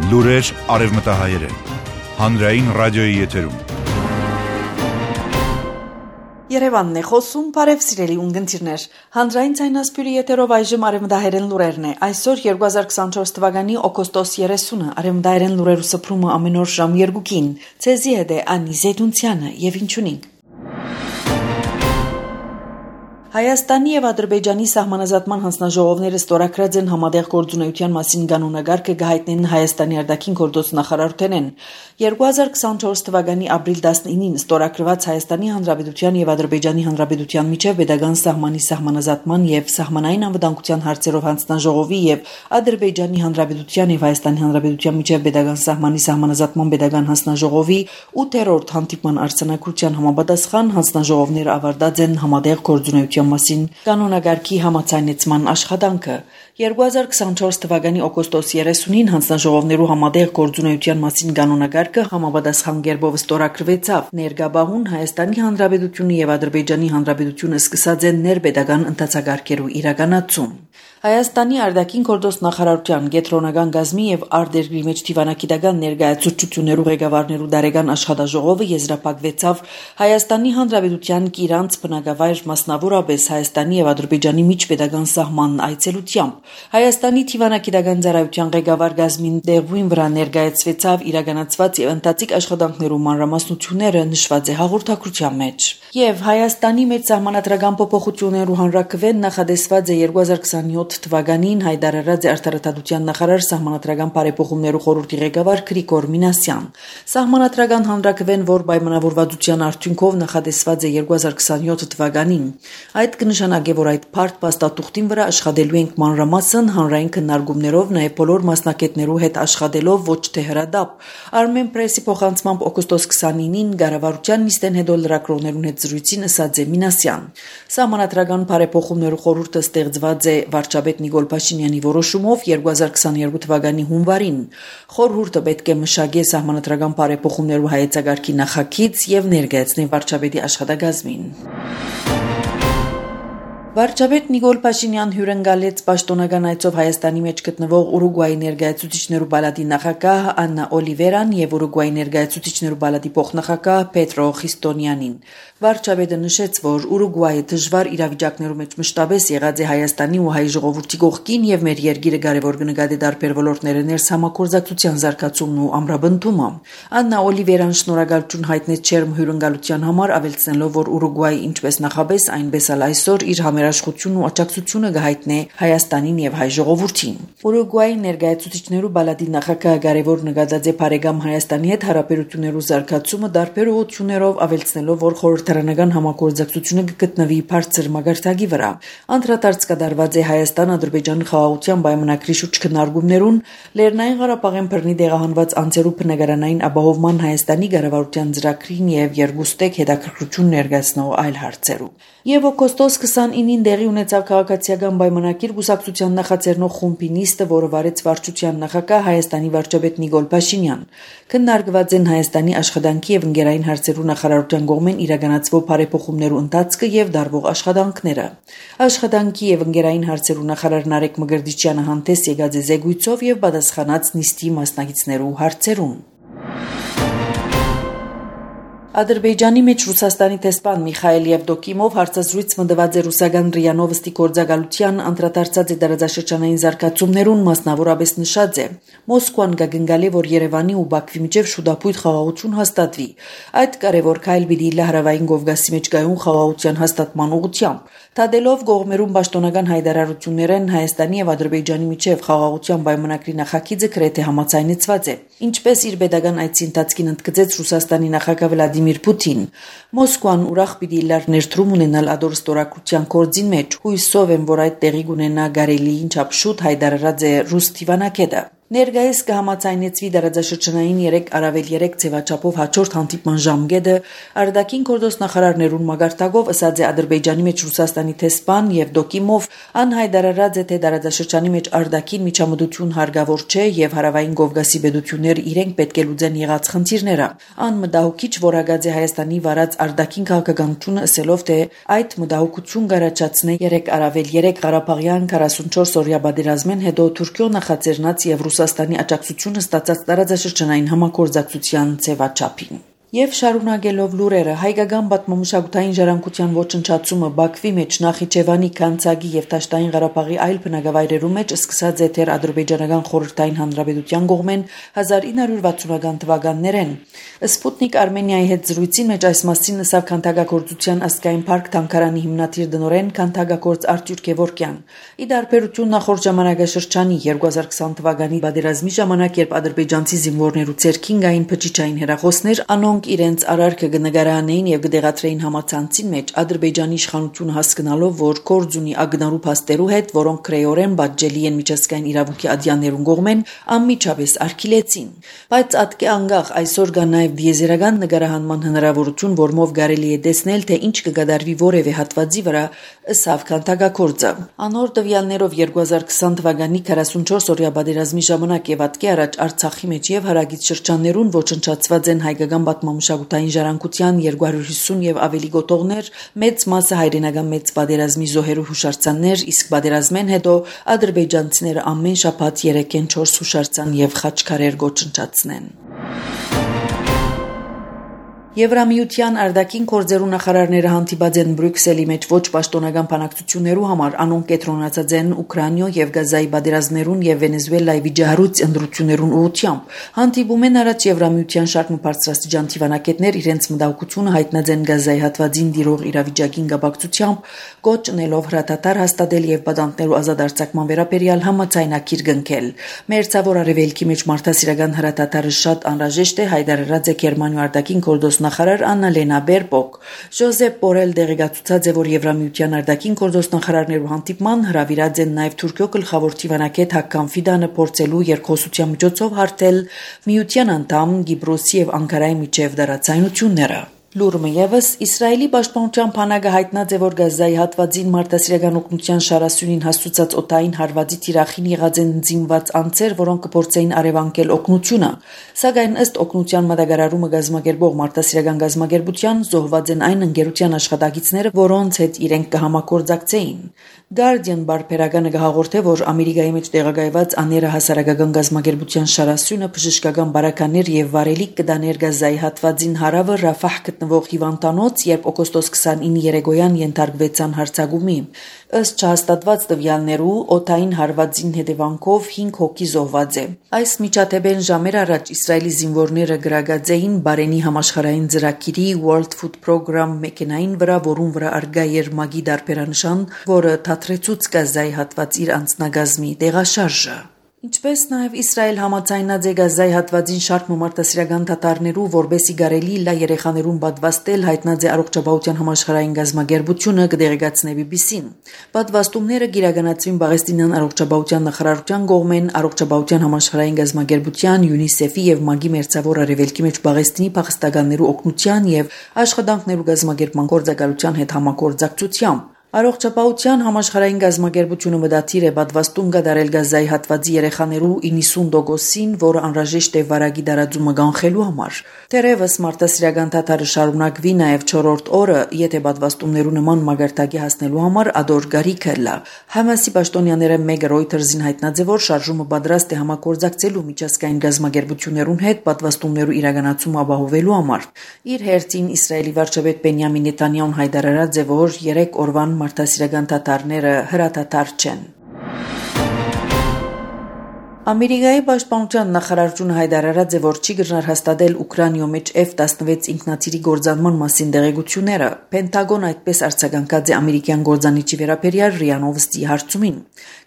Լուրեր արևմտահայերեն, հանրային ռադիոյի եթերում։ Երևանն է խոսում, բարև սիրելի ունգընտիրներ, հանրային ցայնասպյուրի եթերով այժմ արևմտահայերեն լուրերն է, այսօր 2024 թվականի օգոստոս 30-ը, արևմտահայերեն լուրերու սփռումը ամեն օր ժամ 2-ին, ցեզի հետ է Անի Զեյդունցյանը եւ ինչունինք։ Հայաստանի եւ Ադրբեջանի սահմանազատման հանձնաժողովները ստորագրած են համատեղ գործունեության մասին կանոնագարկը գահիտնեն Հայաստանի արտաքին գործ նախարարութենեն 2024 թվականի ապրիլ 19-ին ստորագրված Հայաստանի Հանրապետության եւ Ադրբեջանի Հանրապետության միջև pedagogan սահմանի սահմանազատման եւ սահմանային անվտանգության հարցերով հանձնաժողովի եւ Ադրբեջանի Հանրապետության եւ Հայաստանի Հանրապետության միջև pedagogan սահմանի սահմանազատման pedagogan հանձնաժողովի 8-րդ հանդիպման արձանագրության համապատասխան հանձնաժողովները ավարտած են համատեղ գործունեության մասին կանոնագարկի համաձայնեցման աշխատանքը 2024 թվականի օգոստոս 30-ին հանձնաժողովներու համատեղ գործունեության մասին կանոնագարկը համապատասխան կերպով ստորագրվեցավ ներգաբահուն Հայաստանի Հանրապետությունը եւ Ադրբեջանի Հանրապետությունը սկսած են ներպետական ընթացակարգերու իրականացում Հայաստանի արտաքին գործ նախարարության կենտրոնական գազմի եւ արտերկրի մեջ դիվանագիտական ներկայացուցչություններու ղեկավարներու դարեգան աշխատաժողովը եզրափակվեցավ Հայաստանի Հանրապետության Կիրանց բնակավայր մասնավորապես Հայաստանի եւ Ադրբեջանի միջպետական սահման այցելությամբ Հայաստանի դիվանագիտական ծառայության ղեկավար գազմին դերույն վրա ներկայացվեցավ իրականացված եւ ընթացիկ աշխատանքներու մանրամասնությունները նշված է հաղորդակցության մեջ եւ Հայաստանի մեջ սահմանադրական փոփոխություններու հանրակրվեն նախադեсված է 2027 թվականին հայտարարած է արտարադատության նախարար սահմանադրական բարեփոխումներու խորհրդի ղեկավար Գրիգոր Մինասյան սահմանադրական հանրակրվեն որ պայմանավորվածության արդյունքով նախադեсված է 2027 թվականին այդ կնշանակե որ այդ բարդ փաստաթուղթին վրա աշխատելու ենք մանրամասն հանրային քննարկումներով նաեւ բոլոր մասնակիցներու հետ աշխատելով ոչ թե հրադապ Armen Press-ի փոխանցմամբ օգոստոս 29-ին կառավարության նիստեն հետո լրագրողներուն հետ զրույցին ասաց է Մինասյան սահմանադրական բարեփոխումներու խորհուրդը ստեղծված է վարչապետ Նիկոլ Փաշինյանի որոշումով 2022 թվականի հունվարին խորհուրդը պետք է մշակի սահմանադրական բարեփոխումներու հայեցակարգի նախագիծ եւ ներկայացնի վարչապետի աշխատակազմին Վարչապետ Նիկոլ Փաշինյան հյուրընկալեց պաշտոնական այցով Հայաստանի մեջ գտնվող Ուրուգվայի ներկայացուցիչներու պալատի նախագահ Աննա Օլիվերան եւ Ուրուգվայի ներկայացուցիչներու պալատի փոխնախագահ Պետրո Խիստոնյանին Վարչապետը նշեց, որ Ուրուգվայի դժվար իրավիճակներու մեջ մշտապես եղած է Հայաստանի ու հայ ժողովրդի կողքին եւ մեր երկիրը կարեւոր կնկատի տարբեր ոլորտները ներս համագործակցության զարգացումն ու ամրապնդումը Աննա Օլիվերան շնորհակալություն հայտնեց չերմ հյուրընկալության համար ավելցնելով, որ Ուրուգվայի ինչպես նախապես այնպես էլ այսօր իր համերաշխությունն ու աջակցությունը կհայտնի Հայաստանին եւ հայ ժողովրդին Ուրուգվայի ներկայացուցիչներու պալատի նախագահը կարեւոր նկատած է բարեկամ Հայաստանի հետ հարաբերություններու զարգացումը տարբեր ուղղություններով ավելցնելով, որ խորհրդարանական համագործակցությունը կգտնվի բարձր մակարդակի վրա անդրադարձ կատարված է Հայաստան-Ադրբեջան խաղաղության պայմանագրի շուրջ քննարկումներուն Լեռնային Ղարաբաղեն բռնի տեղահանված անձերու բնակարանային ապահովման Հայաստանի կառավարության ծրագրին եւ երկուստեք հետաքրքրություն ներկայացնող այլ հարցերու Եվ օգոստոս 29-ին դեղի ունեցավ քաղաքացիական պայմանագիր կուսակցության նախաձեռնող խումբի նիստը, որը վարեց վարչության նախագահ Հայաստանի վարչապետ Նիկոլ Փաշինյան։ Քննարկված են Հայաստանի աշխատանքի եւ ընկերային հարցերու նախարարության կողմեն իրականացվող բարեփոխումներու ընթացքը եւ դարվող աշխատանքները։ Աշխատանքի եւ ընկերային հարցերու նախարար Նարեկ Մգրտիչյանը հանդես եկած է զեկույցով եւ պատասխանած նիստի մասնակիցներու հարցերուն։ Ադրբեջանի մեջ Ռուսաստանի տեսփան Միխայել Եվդոկիմով հարցազրույց մտված է ռուսական ՌԻԱ Նովոստի գործակալության անդրադարձած է տարածաշրջանային զարգացումներուն մասնավորապես նշած է Մոսկվան կգնգալի որ Երևանի ու Բաքվի միջև շուտապույտ խաղաղություն հաստատվի այդ կարևոր քայլ պիտի լահրավային Կովկասի մեջ գայուն խաղաղության հաստատման ուղղությամբ Տադելով գողմերուն պաշտոնական հայտարարություններն Հայաստանի եւ Ադրբեջանի միջև խաղաղության պայմանագրի նախագիծը գրեթե համաձայնեցված է ինչպես իր pedagogan այցի ընթացքին ընդգծեց Ռուսաստանի նախագահ Վլադիմիր Պուտին Մոսկվան ուրախ պիտի լար ներդրում ունենալ ադոր ստորագրության կորձին մեջ հույսով եմ որ այդ տեղի կունենա գարելիին չափ շուտ հայտարարած է ռուս դիվանագետը Ներկայիս կհամաձայնեցվի տարածաշրջանային 3 առավել 3 ձևաչափով հաջորդ հանդիպման ժամկետը արտաքին գործ նախարարներուն մագարտակով ըսած է Ադրբեջանի մեջ Ռուսաստանի տեսփան Եվդոկիմով անհայտարարած է թե տարածաշրջանի մեջ արտաքին միջամտություն հարգավոր չէ եւ հարավային Կովկասի պետությունները իրենք պետք է լուծեն եղած խնդիրները անմտահոգիչ որակած է Հայաստանի վարած արտաքին քաղաքականությունը ասելով թե այդ մտահոգություն կառաջացնի 3 առավել 3 Ղարաբաղյան 44 օրյա պատերազմեն հետո Թուրքիո նախաձեռնած եւ Ռուսաստանի աջակցությունը ստացած տարածաշրջանային համագործակցության ձևաչափին։ Եվ շարունակելով լուրերը, հայկական պատմամշակութային ժառանգության ոչնչացումը Բաքվի մեջ, Նախիջևանի, Կանցագի եւ Դաշտային Ղարաբաղի այլ բնակավայրերում մեջ սկսած է դեռ Ադրբեջանական խորհրդային հանրապետության կողմեն 1960-ական թվականներեն։ Սպուտնիկ Արմենիայի հետ զրույցին մեջ այս մասին ասավ քանդակագործության ազգային парք Թանկարանի հիմնադիր դնորեն քանդակագործ Արտյուր Գևորգյան։ Ի դարբերություն նախորդ ժամանակաշրջանի 2020 թվականի պատերազմի ժամանակ, երբ ադրբեջանցի զինվորներու ցերքին գային փչիչային հերախոսներ, անոնք իրենց արարքը կնկարանեին եւ կդեղացրեին համացանցին մեջ Ադրբեջանի իշխանությունը հասկանալով, որ գործ ունի ագնարու փաստերու հետ, որոնք քրեորեն բաժելի են միջազգային իրավունքի ադյաններուն կողմեն, անմիջապես արգելեցին։ Բայց ատկե անգախ այսօր կա նաեւ դիեզերական նկարահանման հնարավորություն, որմով կարելի է տեսնել, թե ինչ կգադարվի որևէ հատվածի վրա, ըսավ քանդակագործը։ Անոր տվյալներով 2020 թվականի 44-օրյա պատերազմի ժամանակ եւ ատկե առաջ Արցախի մեջ եւ հարագից շրջաններուն ոչնչացված են հայկական պատմամշակութային ժառանգության 250 եւ ավելի գոտողներ, մեծ մասը հայրենական մեծ պատերազմի զոհերու հուշարձաններ, իսկ պատերազմեն հետո ադրբեջանցիները ամեն շաբաթ 3-4 հուշարձան եւ խաչքարեր ոչնչացնեն։ Եվրամիության արտաքին գործերու նախարարները հանդիպած են Բրյուսելի մեջ ոչ պաշտոնական բանակցություններու համար, անոնք կենտրոնացած են Ուկրաինա եւ Գազայի պատերազմներուն եւ Վենեսուելայի վիճահարույց ընտրություններուն ուղղությամբ։ Հանդիպումեն առաջ Եվրամիության շարք բարձրաստիճան դիվանագետներ իրենց մտահոգությունը հայտնած են Գազայի հատվածին դիրող իրավիճակին կապակցությամբ, կոչ ունելով հրատատար հաստատել եւ պատանդներու ազատ արձակման վերաբերյալ համաձայնագիր կնքել։ Մերձավոր արևելքի մեջ մարդասիրական հրատատարը շատ անհրաժեշտ է, հայտարարած է Գերմանիայի արտաքին գործ նախարար Աննա Լենա Բերբոկ։ Ժոզեփ Բորել դեղեկացուցած է, որ Եվրամիության արտաքին գործ նախարարներու հանդիպման հրավիրած են նաև Թուրքիո գլխավոր դիվանագետ Հակկան Ֆիդանը փորձելու երկխոսության միջոցով հարթել միության անդամ Կիպրոսի եւ Անկարայի միջև դարացայնությունները։ Լուրը եւս Իսրայելի պաշտպանության բանակը հայտնած է, որ Գազայի հատվածին մարդասիրական օգնության շարասյունին հասցուցած օտային հարվածի թիրախին եղած են զինված անձեր, որոնք կփորձեին արևանկել օգնությունը։ Սակայն ըստ օգնության մատակարարումը գազམ་ակերպող մարդասիրական գազམ་ակերպության զոհված են այն ընկերության աշխատակիցները, որոնց հետ իրենք կհամագործակցեին։ Guardian բարբերականը կհաղորդե, որ Ամերիկայի մեջ տեղակայված աները հասարակական գազམ་ակերպության շարասյունը բժշկական բարականեր եւ վարելիք կդաներ Գազայի հատվածին հարավը Ռաֆահ գտնվող հիվանդանոց, երբ օգոստոս 29 երեկոյան ենթարկվեցան հարձակումի։ Ըստ չհաստատված տվյալներու օդային հարվածին հետևանքով 5 հոգի զոհված է։ Այս միջադեպեն ժամեր առաջ Իսրայելի զինվորները գրագած էին Բարենի համաշխարհային ծրագիրի World Food Program մեքենային վրա, որուն վրա արգա էր մագի դարբերանշան, որը թատրեցուց Գազայի հատված իր անձնագազմի տեղաշարժը։ Ինչպես նաև Իսրայել համաձայնած է Գազայի հատվածին շարք մարդասիրական դատարներու, որբեսի գարելի լա երեխաներուն պատվաստել, հայտնած է առողջապահության համաշխարհային գազམ་ակերպությունը կդեղեկացնե BBC-ին։ Պատվաստումները գիրականացվին Պաղեստինյան առողջապահության նախարարության կողմեն առողջապահության համաշխարհային գազམ་ակերպության, UNICEF-ի եւ ՄԱԳ-ի մերձավոր արևելքի մեջ Պաղեստինի փախստականներու օգնության եւ աշխատանքներու գազམ་ակերպման գործակալության հետ համագործակցությամբ։ Առողջապահության համաշխարհային գազམ་ակերպությունը մտադիր է պատվաստում կատարել Գազայի հատվածի երեխաներու 90%-ին, որը անհրաժեշտ է վարակի դարաձումը կանխելու համար։ Թերևս մարդասիրական դատարը շարունակվի նաև 4-րդ օրը, եթե պատվաստումներու նման մագարտակի հասնելու համար ադոր գարիքը լա։ Համասի պաշտոնյաները մեկը Reuters-ին հայտնած է, որ շարժումը պատրաստ է համագործակցելու միջազգային գազམ-ակերպություններուն հետ պատվաստումներու իրականացումը ապահովելու համար։ Իր հերթին Իսրայելի վարչապետ Բենյամին Նեթանյահուն հայտարարած է, որ 3 օրվան մարդասիրական դատարները հրատատար չեն։ Ամերիկայի պաշտպանության նախարարությունը հայտարարած է, որ չի գնար հաստատել Ուկրաինայում մեջ F-16 ինքնաթիռի գործադրման մասին տեղեկությունները։ Պենտագոն այդպես արձագանքած է ամերիկյան գործանիչի վերաբերյալ ՌԻԱ Նովոստի հարցումին։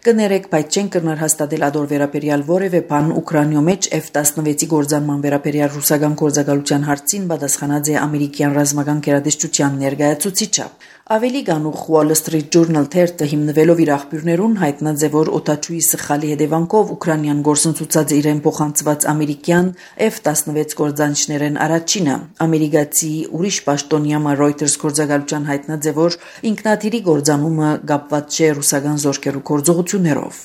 Կներեք, բայց չեն գնար հաստատել ադոր վերաբերյալ որևէ բան Ուկրաինայում մեջ F-16-ի գործադրման վերաբերյալ ռուսական գործակալության հարցին պատասխանած է ամերիկյան ռազմական գերատեսչության ներկայացուցիչը։ Ավելի գանուխ Wall Street Journal թերթը հիմնվելով իր աղբյուրներուն հայտնած է, որ օտաչուի սխալի հետևանքով Ուկրաինան գործընծուցած է իրեն փոխանցված ամերիկյան F-16 գործանիչներեն առաջինը։ Ամերիկացի ուրիշ պաշտոնյա Reuters գործակալության հայտնած է, որ ինքնաթիռի գործանումը կապված չէ ռուսական զորքերու գործողություններով։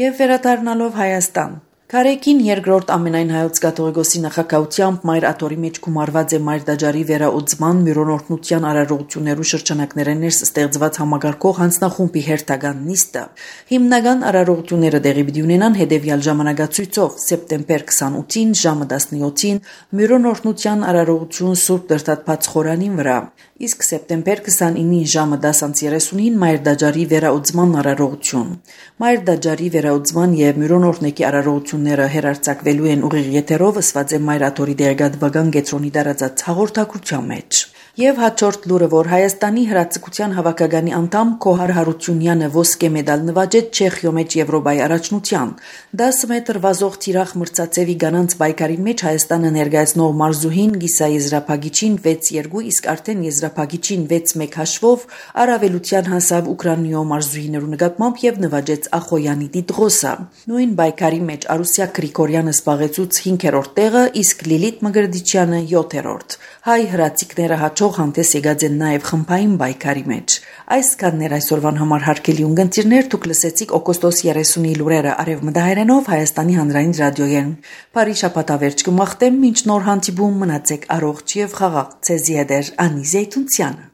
Եվ վերադառնալով Հայաստան, Քարեկին երկրորդ ամենայն հայոց կաթողիկոսի նախագահությամբ Մայր Աթորի մեջ գումարված է Մայր Դաջարի վերաուձման միրոնորտնության արարողություններու շրջանակները ներս ստեղծված համագարկող հանձնախումբի հերթական նիստը։ Հիմնական արարողությունները տեղի պիտի ունենան հետևյալ ժամանակացույցով՝ սեպտեմբեր 28-ին ժամը 17-ին միրոնորտնության արարողություն Սուրբ Դրդատփած խորանին վրա, իսկ սեպտեմբեր 29-ին ժամը 10:30-ին Մայր Դաջարի վերաուձման արարողություն։ Մայր Դաջարի վերաուձման եւ միրոնորտնեկի արարողությունները հերարցակվելու են ուղիղ եթերով ըսված է Մայր Աթորի դեղեկատվական կենտրոնի տարածած հաղորդակցության մեջ։ Եվ հաջորդ լուրը, որ Հայաստանի հրաձգության հավաքականի անդամ Քոհար Հարությունյանը ոսկե մեդալ նվաճեց Չեխիո մեջ Եվրոպայի առաջնության 10 մետր վազող թիրախ մրցածևի գանանց պայքարի մեջ Հայաստանը ներկայացնող մարզուհին Գիսա Եզրափագիչին 6-2, իսկ արդեն Եզրափագիչին 6-1 հաշվով առավելության հասավ Ուկրաինայո մարզուհիներու նկատմամբ եւ նվաճեց Ախոյանի Տիտղոսը։ Նույն պայքարի մեջ Արուսյա Գրիգորյանը զբաղեցուց 5-րդ տեղը, իսկ Լիլիթ Մգրդիչյանը 7-րդ։ Հայ հրաձիկները հաջող հանդես եկած են նաև խմբային պայքարի մեջ։ Այսքաններ այսօրվան համար հարգելի ունկնդիրներ, դուք լսեցիք օգոստոս 30-ի լուրերը արևմտահայերենով Հայաստանի հանրային ռադիոյեն։ Բարի շաբաթավերջ կմաղթեմ, մինչ նոր հանդիպում մնացեք առողջ եւ խաղաղ։ Ցեզի հետ Անի Զեյթունցյանը։